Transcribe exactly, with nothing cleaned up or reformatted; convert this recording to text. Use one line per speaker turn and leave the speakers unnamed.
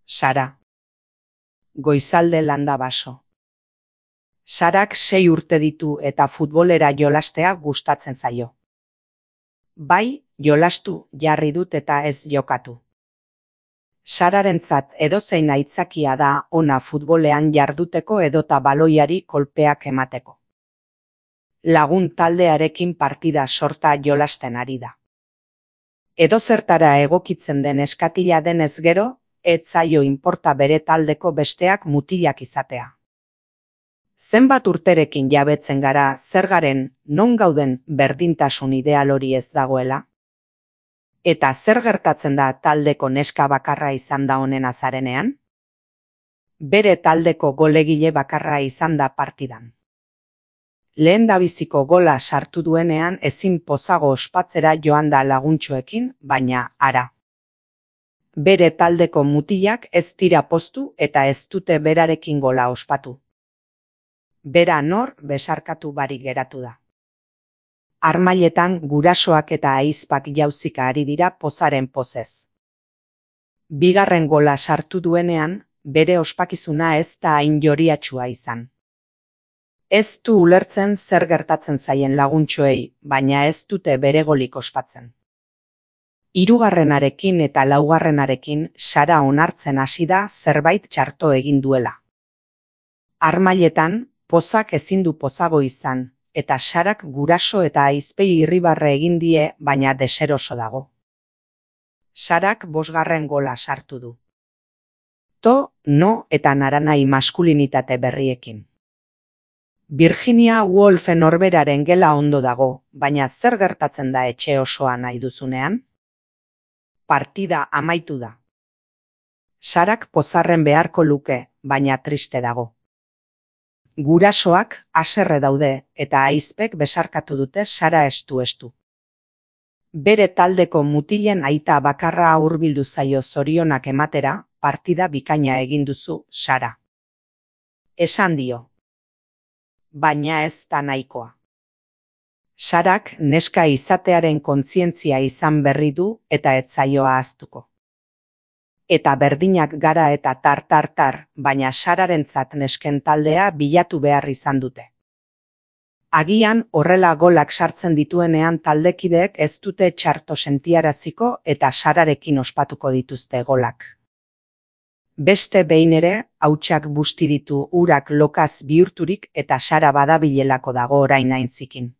Sara. Goizalde landa baso. Sarak sei urte ditu eta futbolera jolastea gustatzen zaio. Bai, jolastu jarri dut eta ez jokatu. Sararentzat edozein aitzakia da ona futbolean jarduteko edota baloiari kolpeak emateko. Lagun taldearekin partida sorta jolasten ari da. Edozertara egokitzen den eskatila denez gero, ez zaio inporta bere taldeko besteak mutilak izatea. Zenbat urterekin jabetzen gara zer garen, non gauden berdintasun ideal hori ez dagoela? Eta zer gertatzen da taldeko neska bakarra izan da honen azarenean? Bere taldeko golegile bakarra izan da partidan. Lehendabiziko gola sartu duenean ezin pozago ospatzera joan da laguntxoekin, baina ara. Bere taldeko mutilak ez dira poztu eta ez dute berarekin gola ospatu. Bera nor besarkatu barik geratu da. Armailetan gurasoak eta ahizpak jauzika ari dira pozaren pozez. Bigarren gola sartu duenean, bere ospakizuna ez da hain joriatsua izan. Ez du ulertzen zer gertatzen zaien laguntxoei, baina ez dute bere golik ospatzen. Hirugarrenarekin eta laugarrenarekin Sara onartzen hasi da zerbait txarto egin duela. Armailetan, pozak ezin du pozago izan, eta Sarak guraso eta ahizpei irribarre egin die, baina deseroso dago. Sarak bosgarren gola sartu du. To, no eta naranai maskulinitate berriekin. Virginia Woolfen norberaren gela ondo dago, baina zer gertatzen da etxe osoa nahi duzunean? Partida amaitu da. Sarak pozarren beharko luke, baina triste dago. Gurasoak haserre daude eta ahizpek besarkatu dute Sara estu-estu. Bere taldeko mutilen aita bakarra hurbildu zaio zorionak ematera, partida bikaina egin duzu, Sara. Esan dio. Baina ez da nahikoa. Sarak neska izatearen kontzientzia izan berri du eta ez zaio ahaztuko. Eta berdinak gara eta tar-tar-tar, baina Sararentzat nesken taldea bilatu behar izan dute. Agian horrela golak sartzen dituenean taldekideek ez dute txarto sentiaraziko eta Sararekin ospatuko dituzte golak. Beste behin ere, hautsak busti ditu urak lokaz bihurturik eta Sara badabilelako dago orain hain zikin.